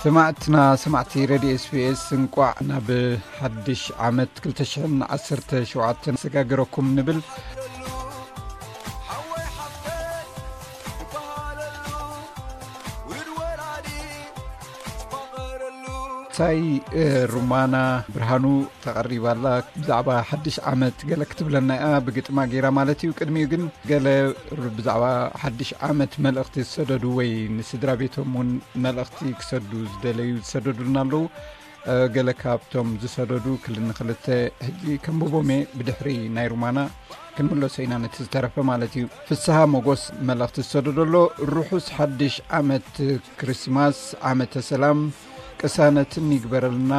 ሰማዕትና ሰማዕቲ ሬድዮ ኤስቢኤስ፣ እንቋዕ ናብ ሓድሽ ዓመት ክልተ ሽሕን ዓሰርተ ሸውዓተን ሰጋገረኩም ንብል። ሳይ ሩማና ብርሃኑ ተቐሪባ ኣላ። ብዛዕባ ሓድሽ ዓመት ገለ ክትብለና እያ፣ ብግጥማ ገይራ ማለት እዩ። ቅድሚኡ ግን ገለ ብዛዕባ ሓድሽ ዓመት መልእኽቲ ዝሰደዱ ወይ ንስድራ ቤቶም እውን መልእኽቲ ክሰዱ ዝደለዩ ዝሰደዱልና ኣለዉ። ገለ ካብቶም ዝሰደዱ ክልተ ንክልተ ሕጂ ከንብቦም እየ፣ ብድሕሪ ናይ ሩማና ክንምለሶ ኢና ነቲ ዝተረፈ ማለት እዩ። ፍስሃ መጎስ መልእኽቲ ዝሰደዶ ኣሎ። ርሑስ ሓድሽ ዓመት፣ ክርስማስ፣ ዓመተ ሰላም ቅሳነትን ይግበረልና።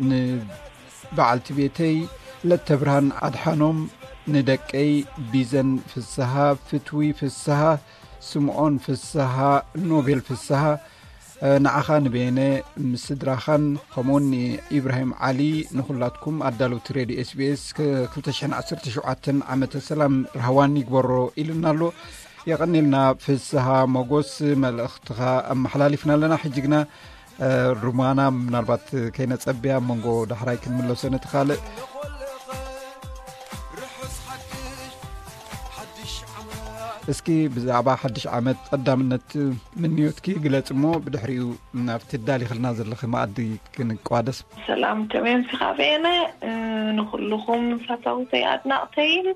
ንበዓልቲ ቤተይ ለተብርሃን ኣድሓኖም፣ ንደቀይ ቢዘን ፍስሃ፣ ፍትዊ ፍስሃ፣ ስምዖን ፍስሃ፣ ኖቤል ፍስሃ፣ ንዓኻ ንበየነ ምስ ስድራኻን ከምኡውን ንኢብራሂም ዓሊ፣ ንኹላትኩም ኣዳለውቲ ሬድዮ ኤስቢኤስ ክልተ ሽሕን ዓሰርተ ሸውዓተን ዓመተ ሰላም ራህዋን ይግበሮ ኢልና ኣሎ። የቐኒልና ፍስሃ መጎስ፣ መልእኽትኻ ኣመሓላሊፍና ኣለና። ሕጂ ግና ሩማና ምናልባት ከይነጸብያ መንጎ ዳሕራይ ክንምለሶ ነቲ ካልእ። እስኪ ብዛዕባ ሓድሽ ዓመት ቀዳምነት ምንዮትኪ ግለጽ እሞ ብድሕሪኡ ናብቲ ዳሊኽልና ዘለኺ መኣዲ ክንቋደስ። ሰላም፣ ከመይ ኣምሲኻ በየነ? ንኹልኹም ፈተውተይ ኣድናቕተይን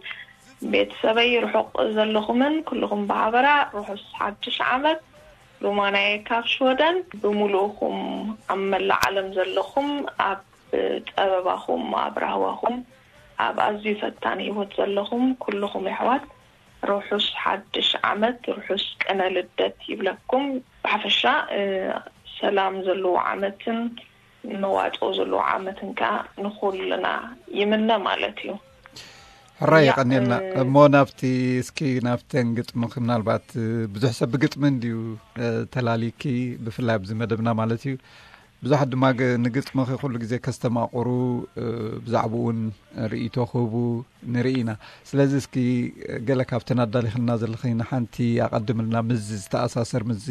ቤተሰበይ ርሑቕ ዘለኹምን ኩልኹም ብሓበራ ርሑስ ሓድሽ ዓመት። ሩማናየ ካብ ሽወደን። ብምሉእኹም ኣብ መላእ ዓለም ዘለኹም፣ ኣብ ጸበባኹም፣ ኣብ ራህዋኹም፣ ኣብ ኣዝዩ ፈታኒ ህይወት ዘለኹም ኩልኹም የሕዋት፣ ርሑስ ሓድሽ ዓመት፣ ርሑስ ቅነ ልደት ይብለኩም። ብሓፈሻ ሰላም ዘለዎ ዓመትን መዋጽኦ ዘለዎ ዓመትን ከኣ ንኹልና ይምነ ማለት እዩ። ሕራይ የቐንየልና። እሞ ናብቲ፣ እስኪ ናብተን ግጥምኺ፣ ምናልባት ብዙሕ ሰብ ብግጥሚ እንድዩ ተላሊኪ፣ ብፍላይ ኣብዚ መደብና ማለት እዩ። ብዙሓት ድማ ንግጥምኺ ኩሉ ግዜ ከስተማቕሩ፣ ብዛዕባኡ እውን ርእይቶ ክህቡ ንርኢ ኢና። ስለዚ እስኪ ገለ ካብተን ኣዳሊኽልና ዘለኺ ንሓንቲ ኣቐድምልና፣ ምስዚ ዝተኣሳሰር፣ ምስዚ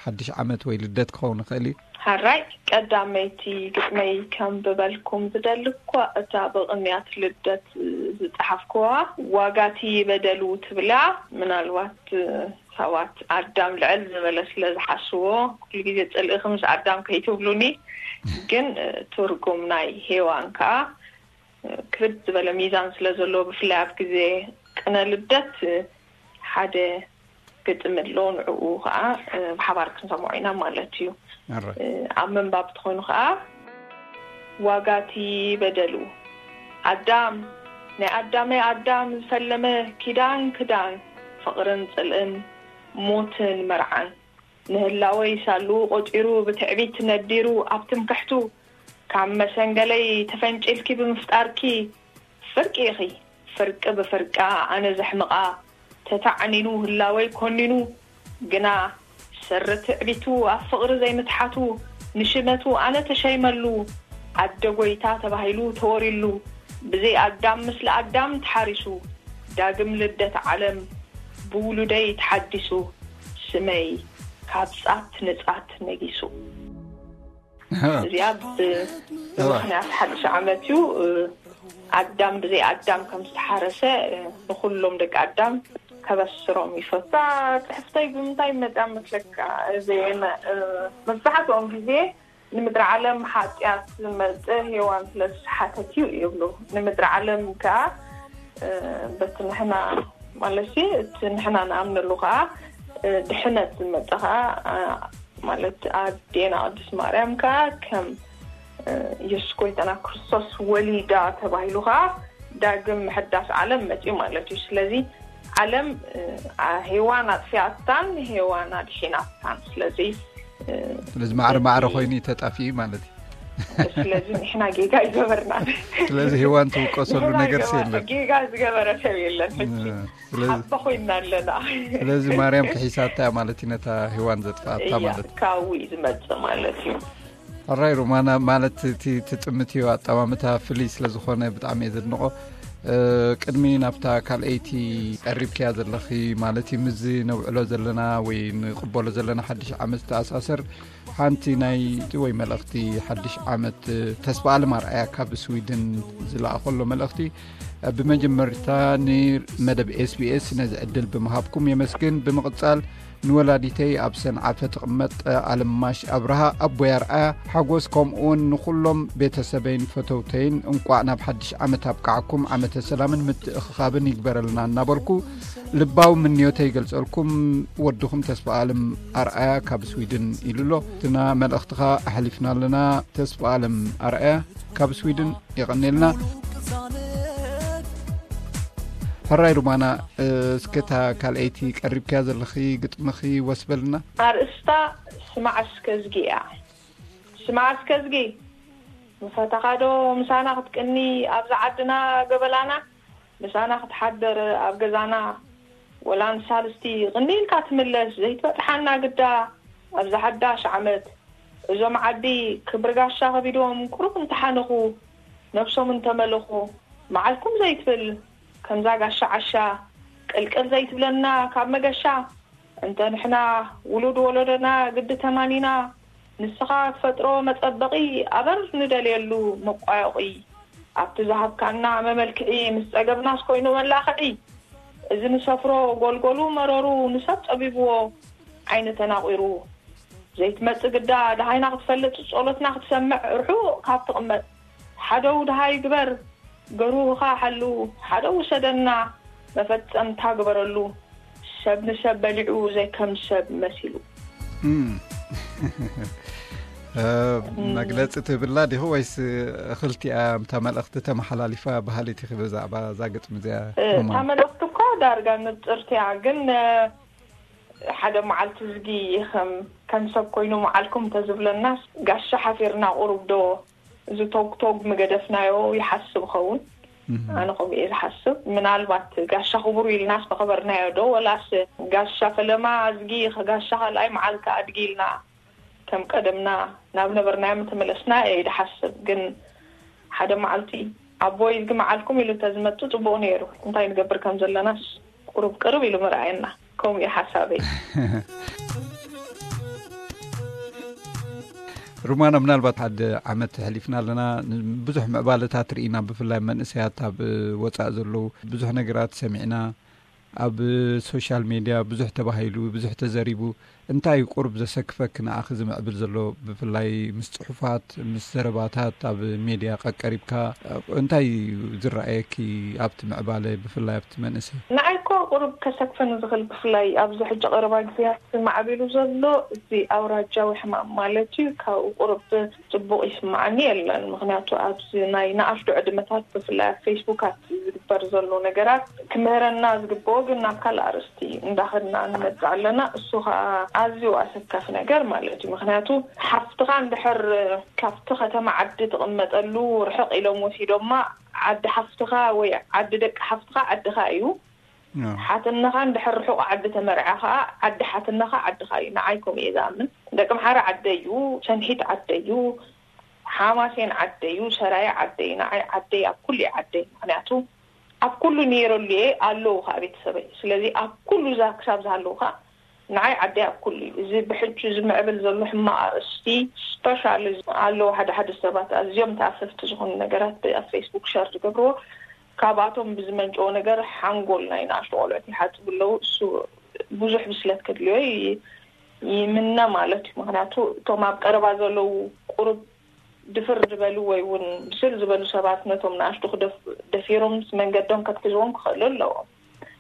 ሓድሽ ዓመት ወይ ልደት ክኸውን ይኽእል እዩ። ሕራይ፣ ቀዳመይቲ ግጥመይ ከንብበልኩም ዝደሊ እኳ እታ ብቕንያት ልደት ዝጸሓፍኩዋ ዋጋቲ በደሉ ትብላ። ምናልባት ሰባት ኣዳም ልዕል ዝበለ ስለ ዝሓስዎ፣ ኩሉ ግዜ ጽልእኺ ምስ ኣዳም ከይትብሉኒ። ግን ትርጉም ናይ ሄዋን ከኣ ክብድ ዝበለ ሚዛን ስለ ዘለዎ፣ ብፍላይ ኣብ ግዜ ቅነ ልደት ሓደ ግጥሚ ኣሎ፣ ንዕኡ ከኣ ብሓባር ክንሰምዖ ኢና ማለት እዩ። ኣብ ምንባብ ተኾይኑ ከኣ፣ ዋጋቲ በደሉ ኣዳም፣ ናይ ኣዳመይ ኣዳም ዝፈለመ ኪዳን ክዳን፣ ፍቕርን ጽልእን ሞትን መርዓን፣ ንህላወይ ሳሉ ቆጺሩ ብትዕቢት ነዲሩ ኣብ ትምክሕቱ፣ ካብ መሰንገለይ ተፈንጪልኪ ብምፍጣርኪ፣ ፍርቂ ኢኺ ፍርቂ ብፍርቃ ኣነ ዘሕምቓ፣ ተታዕኒኑ ህላወይ ኮኒኑ፣ ግና ሰሪ ትዕቢቱ ኣብ ፍቕሪ ዘይምትሓቱ፣ ንሽመቱ ኣነ ተሸይመሉ፣ ኣደ ጎይታ ተባሂሉ ተወሪሉ፣ ብዘይ ኣዳም ምስለ ኣዳም ተሓሪሱ፣ ዳግም ልደት ዓለም ብውሉደይ ተሓዲሱ፣ ስመይ ካብ ጻት ንጻት ነጊሱ። እዚኣ ብምኽንያት ሓድሽ ዓመት እዩ። ኣዳም ብዘይ ኣዳም ከም ዝተሓረሰ፣ ንኹሎም ደቂ ኣዳም ከበስሮም ይፈቱ። እታ ጽሕፍተይ ብምንታይ መጽያ መስለካ? እዚ መብዛሕትኦም ግዜ ንምድሪ ዓለም ሓጢኣት ዝመጽእ ሄዋን ስለ ዝሰሓተት እዩ ይብሉ። ንምድሪ ዓለም ከኣ በቲ ንሕና፣ ማለት እቲ ንሕና ንኣምነሉ ከኣ ድሕነት ዝመጽእ ከኣ፣ ማለት ኣዴና ቅድስት ማርያም ከኣ ከም የሱስ ጎይታና ክርስቶስ ወሊዳ ተባሂሉ ከኣ ዳግም ምሕዳስ ዓለም መጽዩ ማለት እዩ። ስለዚ ዓለም ሄዋን ኣጥፊኣታን ሄዋን ኣድሒናታን። ስለዚ ስለዚ ማዕረ ማዕረ ኮይኑ እዩ ተጣፊኡ ማለት እዩ። ስለዚ ንሕና ጌጋ ይገበርና። ስለዚ ሄዋን ትውቀሰሉ ነገር የለን። ጌጋ ዝገበረ ሰብ የለን። ሓባ ኮይና ኣለና። ስለዚ ማርያም ክሒሳታ ማለት እዩ ነታ ሄዋን ዘጥፋኣታ ማለት እዩ። ካብኡ እዩ ዝመጽእ ማለት እዩ። ሕራይ ሩማና፣ ማለት እቲ ትጥምት እዩ ኣጠማምታ ፍልይ ስለ ዝኾነ ብጣዕሚ እየ ዘድንቖ። ቅድሚ ናብታ ካልኣይቲ ቀሪብክያ ዘለኺ፣ ማለት እዩ፣ ምስዚ ነውዕሎ ዘለና ወይ ንቕበሎ ዘለና ሓድሽ ዓመት ዝተኣሳሰር ሓንቲ ናይ ወይ መልእኽቲ ሓድሽ ዓመት፣ ተስፋ ኣለም ኣርኣያ ካብ ስዊድን ዝለኣኸሎ መልእኽቲ። ብመጀመርታ ንመደብ ኤስቢኤስ ነዚ ዕድል ብምሃብኩም የመስግን። ብምቕጻል ንወላዲተይ ኣብ ሰንዓፈ ትቕመጥ ኣለማሽ ኣብርሃ፣ ኣቦይ ኣርኣያ ሓጎስ፣ ከምኡውን ንኹሎም ቤተሰበይን ፈተውተይን እንቋዕ ናብ ሓድሽ ዓመት ኣብቃዓኩም፣ ዓመተ ሰላምን ምትእኽኻብን ይግበረልና እናበልኩ ልባዊ ምንዮተይ ይገልጸልኩም። ወድኹም ተስፋ ኣለም ኣርኣያ ካብ ስዊድን ኢሉ ኣሎ። እትና መልእኽትኻ ኣሕሊፍና ኣለና። ተስፋ ኣለም ኣርኣያ ካብ ስዊድን የቐኔልና። ሕራይ ሩማና፣ እስከታ ካልኣይቲ ቀሪብክያ ዘለኺ ግጥምኺ ወስበልና። ኣርእስታ ስማዕ እስከ ዝጊ እያ። ስማዕ እስከ ዝጊ፣ ምፈተኻ ዶ ምሳና ክትቅኒ ኣብዛ ዓድና ገበላና? ምሳና ክትሓደር ኣብ ገዛና፣ ወላ ንሳልስቲ ቅኒ ኢልካ ትምለስ ዘይትበጥሓና ግዳ ኣብዛ ሓዳሽ ዓመት። እዞም ዓዲ ክብሪ ጋሻ ከቢዶም ቁሩብ እንተሓነኹ፣ ነብሶም እንተመለኹ፣ መዓልኩም ዘይትብል ከምዛ ጋሻ ዓሻ ቅልቅል ዘይትብለና ካብ መገሻ። እንተ ንሕና ውሉድ ወለዶና ግዲ ተማኒና፣ ንስኻ ትፈጥሮ መጸበቒ ኣበር ንደልየሉ መቋዮቒ። ኣብቲ ዝሃብካና መመልክዒ ምስ ጸገብናስ ኮይኑ መላኽዒ። እዚ ንሰፍሮ ጎልጎሉ መረሩ ንሰብ ጸቢብዎ ዓይኒ ተናቒሩ። ዘይትመጽእ ግዳ ደሃይና ክትፈልጥ ጸሎትና ክትሰምዕ ርሑቕ ካብ ትቕመጥ። ሓደው ደሃይ ግበር፣ ገሩህኻ ሓሉ፣ ሓደው ውሰደና መፈጸምታ ግበረሉ። ሰብ ንሰብ በሊዑ ዘይከም ሰብ መሲሉ። እም። እ፣ እም። መግለጺ ትብላ ዲኹ ወይስ እኽልቲኣ እታ መልእኽቲ ተመሓላሊፋ በሃሊት ኢኺ ብዛዕባ እዛ ግጥሚ እዚኣ? እ፣ ሮማን? እታ መልእኽቲ እኮ ዳርጋ ንጽርቲ እያ፣ ግን፣ እ፣ ሓደ መዓልቲ ዝጊ ከም፣ ከም ሰብ ኮይኑ መዓልኩም እንተዝብለናስ ጋሻ ሓፊርና ቁሩብ ዶ እዚ ቶግ ቶግ ምገደፍናዮ ይሓስብ ኸውን። እም። ኣነ ከምኡ እየ ዝሓስብ። ምናልባት ጋሻ ክቡር ኢልናስ መኸበርናዮ ዶ፣ ወላስ ጋሻ ፈለማ ኣዝጊ፣ ጋሻ ካልኣይ መዓልቲ ኣድጊ ኢልና ከም ቀደምና ናብ ነበርናዮ ምተመለስና እየ ዝሓስብ። ግን ሓደ መዓልቲ ኣቦይ እዝጊ መዓልኩም ኢሉ እንተዝመጽእ ጽቡቕ ነይሩ። እንታይ ንገብር ከም ዘለናስ ቁሩብ ቅርብ ኢሉ ምርኣየና። ከምኡ እዩ ሓሳበይ። ሩማና፣ ምናልባት ሓደ ዓመት ሕሊፍና ኣለና። ብዙሕ ምዕባለታት ርኢና፣ ብፍላይ መንእሰያት ኣብ ወጻእ ዘለዉ ብዙሕ ነገራት ሰሚዕና። ኣብ ሶሻል ሜድያ ብዙሕ ተባሂሉ፣ ብዙሕ ተዘሪቡ። እንታይ እዩ ቁሩብ ዘሰክፈኪ ንኣኺ ዝምዕብል ዘሎ፣ ብፍላይ ምስ ጽሑፋት፣ ምስ ዘረባታት ኣብ ሜድያ ቀቀሪብካ? እንታይ እዩ ዝረኣየኪ ኣብቲ ምዕባለ፣ ብፍላይ ኣብቲ መንእሰይ? ንዓይ እኮ ቁሩብ ከሰክፈኒ ዝኽእል፣ ብፍላይ ኣብዚ ሕጂ ቀረባ ግዜያት ማዕቢሉ ዘሎ እዚ ኣውራጃዊ ሕማም ማለት እዩ፣ ካብኡ ቁሩብ ጽቡቕ ይስምዓኒ የለን። ምኽንያቱ ኣብዚ ናይ ንኣሽቱ ዕድመታት ብፍላይ ኣብ ፌስቡካት ዝግበር ዘሎ ነገራት ክምህረና ዝግብኦ ግን ናብ ካልእ ኣርእስቲ እንዳኸድና ንመጽእ ኣለና። እሱ ኸኣ ኣዝዩ ኣሰካፊ ነገር ማለት እዩ። ምኽንያቱ ሓፍትኻ እንድሕር ካብቲ ከተማ ዓዲ ትቕመጠሉ ርሕቕ ኢሎም ወሲዶማ፣ ዓዲ ሓፍትኻ ወይ ዓዲ ደቂ ሓፍትኻ ዓድኻ እዩ። ኣዎ። ሓትነኻ እንድሕር ርሑቕ ዓዲ ተመርዓ ኸኣ ዓዲ ሓትነኻ ዓድኻ እዩ። ንዓይ ከምኡ እየ ዝኣምን። ደቂ ኣምሓራ ዓደይ እዩ፣ ሰንሒት ዓደይ እዩ፣ ሓማሴን ዓደይ እዩ፣ ሰራየ ዓደይ እዩ። ንዓይ ዓደይ ኣብ ኩሉ እዩ ዓደይ። ምኽንያቱ ኣብ ኩሉ ነይረሉ እየ፣ ኣለዉ ኸኣ ቤተሰበይ። ስለዚ ኣብ ኩሉ እዛ ክሳብ ዝሃለዉ ኸኣ ንዓይ ዓደይ ኣብ ኩሉ እዩ። እዚ ብሕጂ ዝምዕብል ዘሎ ሕማቕ ኣርእስቲ፣ ስፐሻሊ ኣለዉ ሓደ ሓደ ሰባት ኣዝዮም ተኣፈፍቲ ዝኾኑ ነገራት ኣብ ፌስቡክ ሸር ዝገብርዎ፣ ካብኣቶም ብዝመንጨወ ነገር ሓንጎል ናይ ንኣሽቱ ቆልዑት ይሓጽቡ ኣለዉ። እሱ ብዙሕ ብስለት ከድልዮ ይ-፣ ይምነ ማለት እዩ። ምኽንያቱ እቶም ኣብ ቀረባ ዘለዉ ቁሩብ ድፍር ዝበሉ ወይ እውን ብስል ዝበሉ ሰባት ነቶም ንኣሽቱ ክደፍ-፣ ደፊሮም መንገዶም ከትሕዝዎም ክኽእሉ ኣለዎም።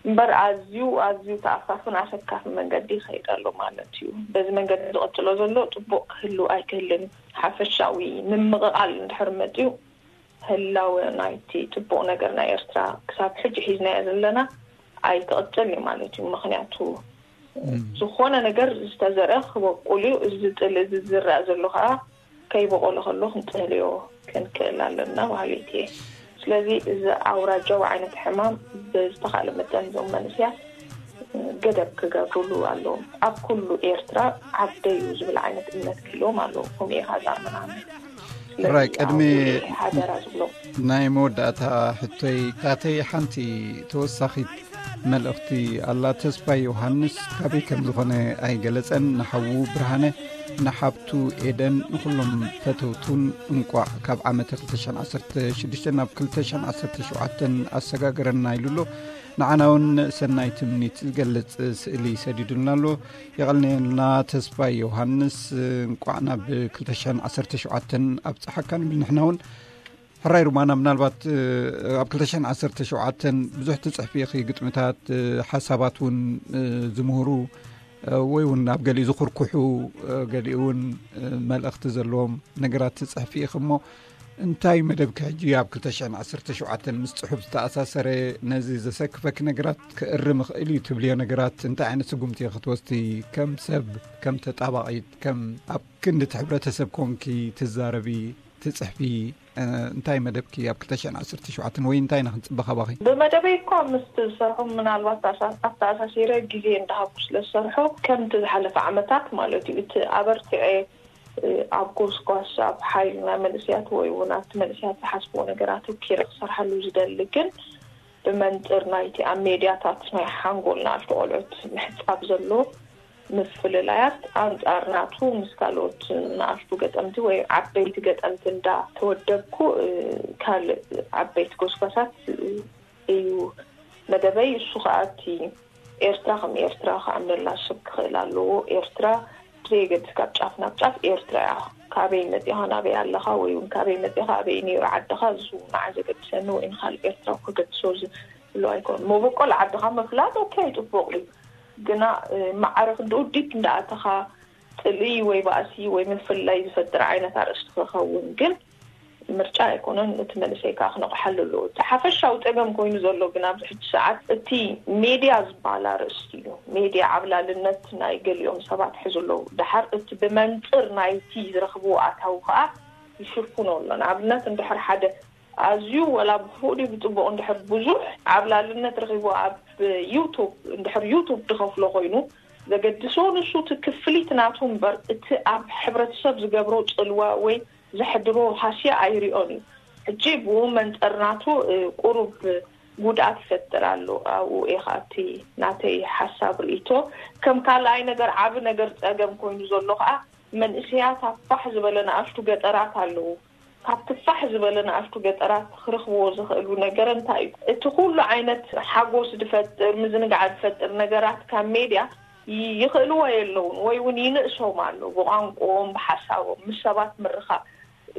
እምበር ኣዝዩ፣ ኣዝዩ ተኣፋፍን ኣሰካፊ መንገዲ ይኸይድ ኣሎ ማለት እዩ። በዚ መንገዲ ዝቕጽሎ ዘሎ ጽቡቕ ክህሉ ኣይክህልን እዩ። ሓፈሻዊ ምምቕቓል እንድሕር መጺኡ፣ ህላወ ናይቲ ጽቡቕ ነገር ናይ ኤርትራ ክሳብ ሕጂ ሒዝናዮ ዘለና ኣይክቕጽል እዩ ማለት እዩ። ምኽንያቱ እም። ዝኾነ ነገር ዝተዘርአ ክበቁል እዩ። እዚ ጥል እዚ ዝረኣ ዘሎ ኸኣ ከይበቆለ ከሎ ክንጽህልዮ ክንክእል ኣለና በሃሊት እየ። ስለዚ እዚ ኣውራጃዊ ዓይነት ሕማም ብዝተኻእለ መጠን እዞም መንእሰያት ገደብ ክገብሩሉ ኣለዎም። ኣብ ኩሉ ኤርትራ ዓደይ እዩ ዝብል ዓይነት እምነት ክህልዎም ኣለዎ። ከምኡ እየ ዝኣምን ኣነ። ሕራይ፣ ቅድሚ ሓደራ ዝብሎ። ናይ መወዳእታ ሕቶይ፣ ታተይ ሓንቲ ተወሳኺት መልእኽቲ ኣላ። ተስፋይ ዮሃንስ ካበይ ከም ዝኾነ ኣይገለጸን። ንሓዉ ብርሃነ፣ ንሓብቱ ኤደን፣ ንኹሎም ፈተውቱን እንቋዕ ካብ ዓመተ ክልተ ሽሕን ዓሰርተ ሽዱሽተ ናብ ክልተ ሽሕን ዓሰርተ ሸውዓተን ኣሰጋገረና ኢሉ ኣሎ። ንዓና እውን ሰናይ ትምኒት ዝገልጽ ስእሊ ሰዲዱልና ኣሎ። የቐንየልና ተስፋይ ዮሃንስ፣ እንቋዕ ናብ ክልተ ሽሕን ዓሰርተ ሸውዓተን ኣብጽሓካ ንብል። ንሕና እውን ሕራይ ሩማና፣ ምናልባት ኣብ ክልተ ሽሕን ዓሰርተ ሸውዓተን ብዙሕ ትጽሕፊ ኢኺ፣ ግጥምታት፣ ሓሳባት እውን ዝምህሩ ወይ እውን ኣብ ገሊኡ ዝኹርኩሑ፣ ገሊኡ እውን መልእኽቲ ዘለዎም ነገራት ትጽሕፊ ኢኺ እሞ፣ እንታይ መደብኪ ሕጂ ኣብ ክልተ ሽሕን ዓሰርተ ሸውዓተን ምስ ጽሑፍ ዝተኣሳሰረ ነዚ ዘሰክፈኪ ነገራት ክእርም ይኽእል እዩ ትብልዮ ነገራት እንታይ ዓይነት ስጉምቲ ክትወስዲ፣ ከም ሰብ፣ ከም ተጣባቒት፣ ከም ኣብ ክንዲ እቲ ሕብረተሰብ ኮንኪ ትዛረቢ፣ ትጽሕፊ፣ እንታይ መደብኪ ኣብ ክልተ ሽሕን ዓሰርተ ሸውዓተን ወይ እንታይ ኢና ክንጽበ ካባኺ? ብመደበይ እኳ ምስቲ ዝሰርሖ ምናልባት ኣሳ-፣ ኣተኣሳሲረ ግዜ እንዳሃብኩ ስለ ዝሰርሖ ከምቲ ዝሓለፈ ዓመታት ማለት እዩ እቲ ኣበርቲዐ ኣብ ጎስጓስ፣ ኣብ ሓይልና መንእስያት ወይ እውን ኣብቲ መንእስያት ዝሓስብዎ ነገር ኣተኪረ ክሰርሓሉ ዝደሊ፣ ግን ብመንጽር ናይቲ ኣብ ሜድያታት ናይ ሓንጎል ንኣሽቱ ቆልዑት ምሕጻብ ዘሎ ምፍልላያት ኣንጻር ናቱ ምስ ካልኦት ንኣሽቱ ገጠምቲ ወይ ዓበይቲ ገጠምቲ እንዳ ተወደብኩ፣ ካልእ ዓበይቲ ጎስጓሳት እዩ መደበይ። እሱ ከኣ እቲ ኤርትራ ከም ኤርትራ ክኣምነላ ሰብ ክኽእል ኣለዎ። ኤርትራ ብዘየገድስ ካብ ጫፍ ናብ ጫፍ ኤርትራ እያ። ካበይ መጺኻ ናበይ ኣለኻ ወይ እውን ካበይ መጺኻ ኣበይ ነይሩ ዓድኻ፣ እሱ ንዓይ ዘገድሰኒ ወይ ንኻልእ ኤርትራዊ ክገድሶ ዝብሎ ኣይኮን። መበቆል ዓድኻ ምፍላጥ ኦኬ፣ ጽቡቕ እዩ። ግና፣ እ፣ ማዕረ ክንድኡ ዲፕ እንዳኣተኻ ጽልኢ ወይ ባእሲ ወይ ምፍላይ ዝፈጥር ዓይነት ኣርእስቲ ክኸውን ግን ምርጫ ኣይኮነን። እቲ መንእሰይ ከኣ ክነቕሓሉ ኣለዎ። እቲ ሓፈሻዊ ጸገም ኮይኑ ዘሎ ግን ኣብዚ ሕጂ ሰዓት እቲ ሜድያ ዝበሃል ኣርእስቲ እዩ። ሜድያ ዓብላልነት ናይ ገሊኦም ሰባት ሒዙ ኣለዉ። ደሓር እቲ ብመንጽር ናይቲ ዝረኽብዎ ኣታዊ ከኣ ይሽፍኖ ኣሎ። ንኣብነት እንድሕር ሓደ ኣዝዩ ወላ ብክፉእ ድዩ ብጽቡቕ እንድሕር ብዙሕ ዓብላልነት ረኺቡ ኣብ ዩቱብ፣ እንድሕር ዩቱብ ድኸፍሎ ኮይኑ ዘገድሶ ንሱ እቲ ክፍሊት ናቱ እምበር እቲ ኣብ ሕብረተሰብ ዝገብሮ ጽልዋ ወይ ዘሕድሮ ሃስያ ኣይሪኦን እዩ። ሕጂ ብኡ መንጸር ናቱ፣ እ፣ ቁሩብ ጉድኣት ይፈጥር ኣሎ። ኣብኡ እየ ከኣ እቲ ናተይ ሓሳብ ርእይቶ። ከም ካልኣይ ነገር ዓቢ ነገር ጸገም ኮይኑ ዘሎ ከኣ መንእሰያት ኣብ ፋሕ ዝበለ ንኣሽቱ ገጠራት ኣለዉ። ካብቲ ፋሕ ዝበለ ንኣሽቱ ገጠራት ክረኽብዎ ዝኽእሉ ነገር እንታይ እዩ? እቲ ኩሉ ዓይነት ሓጎስ ዝፈጥር፣ ምዝንጋዕ ዝፈጥር ነገራት ካብ ሜድያ ይ-፣ ይኽእልዎ የለውን ወይ እውን ይንእሶም ኣሎ። ብቋንቋኦም፣ ብሓሳቦም፣ ምስ ሰባት ምርኻብ፣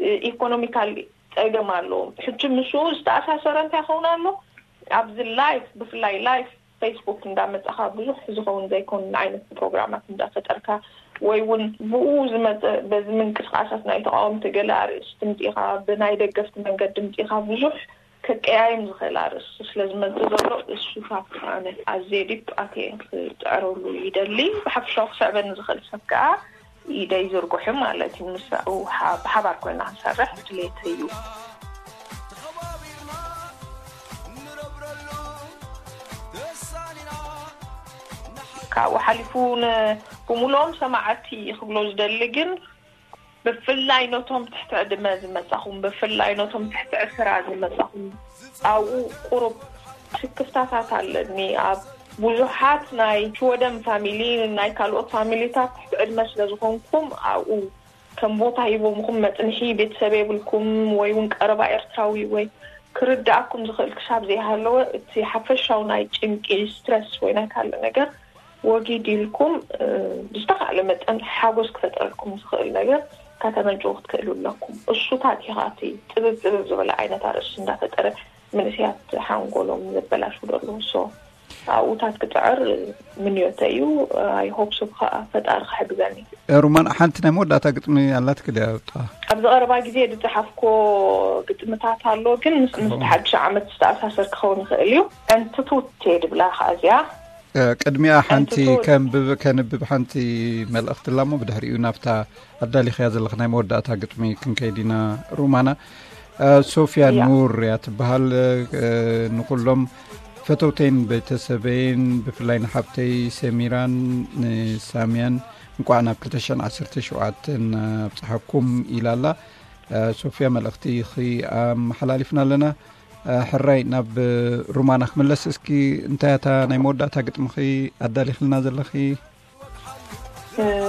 እ፣ ኢኮኖሚካል ጸገም ኣለዎም። ሕጂ ምስኡ ዝተኣሳሰረ እንታይ ይኸውን ኣሎ? ኣብዚ ላይፍ፣ ብፍላይ ላይፍ ፌስቡክ እንዳመጻኻ ብዙሕ ዝኸውን ዘይኮን ዓይነት ፕሮግራማት እንዳፈጠርካ ወይ እውን ብኡ ዝመጸ በዚ ምንቅስቃሳት ናይ ተቃወምቲ ገለ ኣርእስቲ ምጺኻ፣ ብናይ ደገፍቲ መንገዲ ምጺኻ ብዙሕ ከቀያይም ዝኽእል ኣርእስቲ ስለ ዝመጽእ ዘሎ እሱታት ኣነ ኣዝየ ዲፕ ኣትየ ክጽዕረሉ ይደሊ። ብሓፈሻዊ ክስዕበኒ ዝኽእል ሰብ ከኣ ኢደይ ዝርጉሑ ማለት እዩ። ምስኡ ሓ-፣ ብሓባር ኮይና ክንሰርሕ ድሌት እዩ። ካብኡ ሓሊፉ ን-፣ ብምሉኦም ሰማዕቲ ክብሎ ዝደሊ ግን ብፍላይ ነቶም ትሕቲ ዕድመ ዝመጻኹም፣ ብፍላይ ነቶም ትሕቲ ዕስራ ዝመጻኹም ኣብኡ ቁሩብ ስክፍታታት ኣለኒ። ኣብ ብዙሓት ናይ ሽወደን ፋሚሊ፣ ናይ ካልኦት ፋሚሊታት ትሕቲ ዕድመ ስለ ዝኾንኩም ኣብኡ ከም ቦታ ሂቦምኹም መጽንሒ ቤተሰብ የብልኩም ወይ እውን ቀረባ ኤርትራዊ ወይ ክርድኣኩም ዝኽእል ክሳብ ዘይሃለወ እቲ ሓፈሻዊ ናይ ጭንቂ፣ ስትረስ ወይ ናይ ካልእ ነገር ወጊድ ኢልኩም፣ እ፣ ብዝተኻእለ መጠን ሓጎስ ክፈጥረልኩም ዝኽእል ነገር ከተመንጭዉ ክትክእሉ ኣለኩም። እሱታት እዩ ከኣ እቲ ጽብብ ጽብብ ዝበለ ዓይነት ኣርእስቲ እንዳፈጠረ መንእሰያት ሓንጎሎም ዘበላሹ ዘሎ። ሶ ኣብኡታት ክጽዕር ምንዮተይ እዩ። ኣይ ሆፕ ሶ ከኣ ፈጣሪ ክሕግዘኒ። ሩማን፣ ሓንቲ ናይ መወዳእታ ግጥሚ ኣላትኪ ድያ? ኣብጣ ኣብዚ ቀረባ ግዜ ዝጸሓፍኮ ግጥምታት ኣሎ፣ ግን ምስ፣ ምስቲ ሓድሽ ዓመት ዝተኣሳሰር ክኸውን ይኽእል እዩ። ዕንትቱቴ ድብላ ከኣ እዚኣ። እ፣ ቅድሚኣ ሓንቲ ኣንትቱ ከንብብ፣ ከንብብ ሓንቲ መልእኽቲ ኣላ እሞ ብድሕሪኡ ናብታ ኣዳሊኽያ ዘለኽ ናይ መወዳእታ ግጥሚ ክንከይድ ኢና። ሩማና፣ እ፣ ሶፊያ ያ። ኑር እያ ትበሃል። እ፣ ንኹሎም ፈተውተይን ቤተሰበይን ብፍላይ ንሓብተይ ሰሚራን ንሳምያን እንቋዕ ናብ ክልተ ሽሕን ዓሰርተ ሸውዓተን ኣብጽሓኩም ኢላ ኣላ። እ፣ ሶፍያ፣ መልእኽቲ ኺ ኣመሓላሊፍና ኣለና። እ፣ ሕራይ ናብ ሩማና ክምለስ እስኪ። እንታይ እታ ናይ መወዳእታ ግጥምኺ ኣዳሊኽልና ዘለኺ?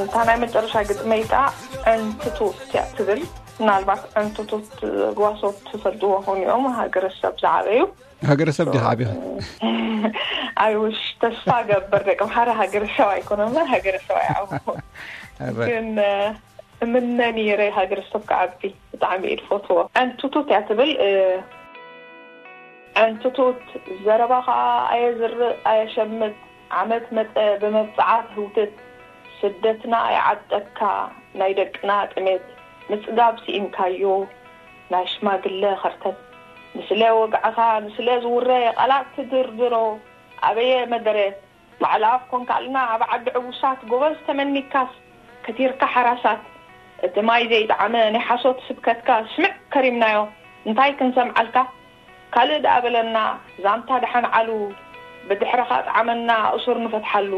እታ ናይ መጨረሻ ግጥመይ ከኣ ዕንትቶት እያ ትብል። ምናልባት ዕንትቶት ጓሶት ትፈልጥዎ ኾኑ እዮም፣ ሃገረሰብ ዝዓበዩ። ሃገረሰብ ዲኻ ዓቢኻ? ኣይውሽ፣ ተስፋ ገብር፣ ደቂ ኣምሓራ ሃገረሰብ ኣይኮነ እምበር ሃገረሰብ ኣይዓበኹ። ኣረ። ግን እምነ ነይረ ሃገረሰብ ክዓቢ። ብጣዕሚ እየ ዝፈትዎ። ዕንትቶት እያ ትብል። ዕንትቶት፣ ዘረባ ኸዓ ኣየዝርእ ኣየሸምት፣ ዓመት መጸ ብመብጽዓ ትህውትት። ስደትና ይዓጠካ ናይ ደቅና ጥሜት፣ ምጽጋብ ስኢንካዮ ናይ ሽማግለ ኸርተት። ንስለ ወግዕኻ ንስለ ዝውረ ቃላት ትድርድሮ ኣበየ መደረ። ባዕላ ኣፍ ኮንካልና ኣብ ዓዲ ዕቡሳት ጎበዝ ተመኒካስ ከቲርካ ሓራሳት። እቲ ማይ ዘይጠዓመ ናይ ሓሶት ስብከትካ ስምዕ ከሪምናዮ። እንታይ ክንሰምዓልካ ካልእ ደኣ በለና። ዛንታ ደሓን ዓሉ ብድሕረኻ ጠዓመና እሱር ንፈትሓሉ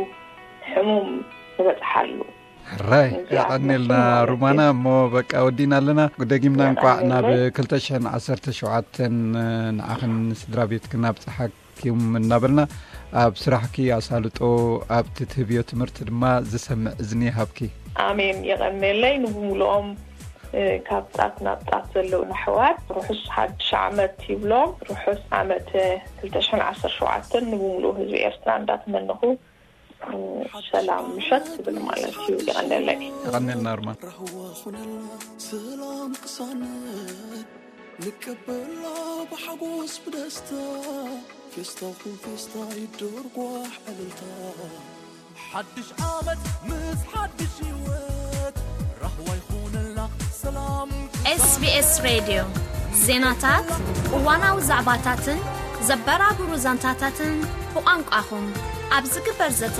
ሕሙም ንበጽሓሉ። ሕራይ እዚኣ የቐኔልና ትመስል ማለት ሩማና። እዩ። እሞ በቃ ወዲና ኣለና። ደጊምና እንቋዕ ናብ የቐኔለይ። ክልተ ሽሕን ዓሰርተ ሸውዓተን ንዓኽን ስድራ ቤትክን ኣብጽሓኩም እናበልና ኣብ ስራሕኪ ኣሳልጦ፣ ኣብቲ ትህብዮ ትምህርቲ ድማ ዝሰምዕ እዝኒ ይሃብኪ። ኣሜን። የቐኔለይ። ንብምልኦም እ፣ ካብ ጣት ናብ ጣት ዘለዉ ኣሕዋት ርሑስ ሓድሽ ዓመት ይብሎም። ርሑስ ዓመት ክልተ ሽሕን ዓሰርተ ሸውዓተን ንብምልኡ ህዝቢ ኤርትራ እንዳተመነኹ፣ እ፣ ሰላም ምሸት ትብል ማለት እዩ። ይቐነለይ። ይቐነልና ኣርማን። ራህዋ ኹነልና ሰላም ቅሳነት ንቀበላ ብሓጎስ ብደስታ። ፌስታኹም ፌስታ ይደርጓሕ ዕልልታ። ሓድሽ ዓመት ምስ ሓድሽ ህይወት ራህዋ ይኹነልና ሰላም። SBS ሬድዮ ዜናታት፣ እዋናዊ ዛዕባታትን ዘበራብሩ ዛንታታትን ብቋንቋኹም ኣብ ዝግበር ዘተ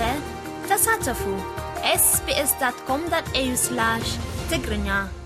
ተሳተፉ። SBS.com.au/ትግርኛ።